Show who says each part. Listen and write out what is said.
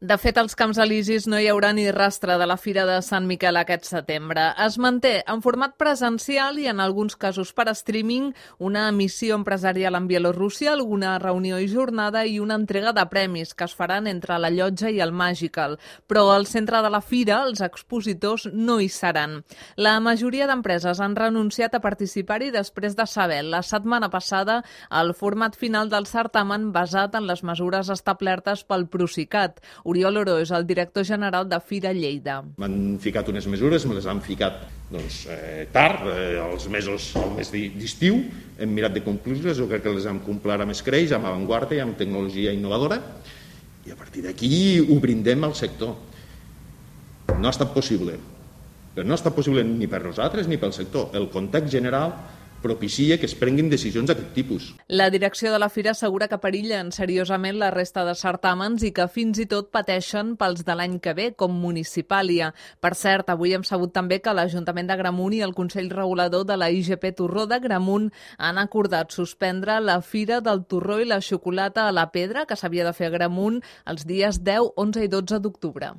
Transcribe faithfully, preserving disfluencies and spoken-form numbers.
Speaker 1: De fet, als Camps Elisis no hi haurà ni rastre de la Fira de Sant Miquel aquest setembre. Es manté en format presencial i en alguns casos per streaming una emissió empresarial en Bielorússia, alguna reunió i jornada i una entrega de premis que es faran entre la Llotja i el Magical. Però al centre de la Fira els expositors no hi seran. La majoria d'empreses han renunciat a participar-hi després de saber la setmana passada el format final del certamen basat en les mesures establertes pel Procicat. Oriol Oró és el director general de Fira Lleida.
Speaker 2: M'han ficat unes mesures, me les han ficat doncs, eh, tard, eh, els mesos, el mes d'estiu, hem mirat de complir-les, jo crec que les hem complert amb escreix, amb avantguarda i amb tecnologia innovadora, i a partir d'aquí ho brindem al sector. No ha estat possible, però no ha estat possible ni per nosaltres ni pel sector. El context general propicia que es prenguin decisions d'aquest tipus.
Speaker 1: La direcció de la Fira assegura que perillen seriosament la resta de certàmens i que fins i tot pateixen pels de l'any que ve, com Municipàlia. Per cert, avui hem sabut també que l'Ajuntament d'Agramunt i el Consell Regulador de la I G P Torró d'Agramunt han acordat suspendre la Fira del Torró i la Xocolata a la Pedra, que s'havia de fer a Agramunt els dies deu, onze i dotze d'octubre.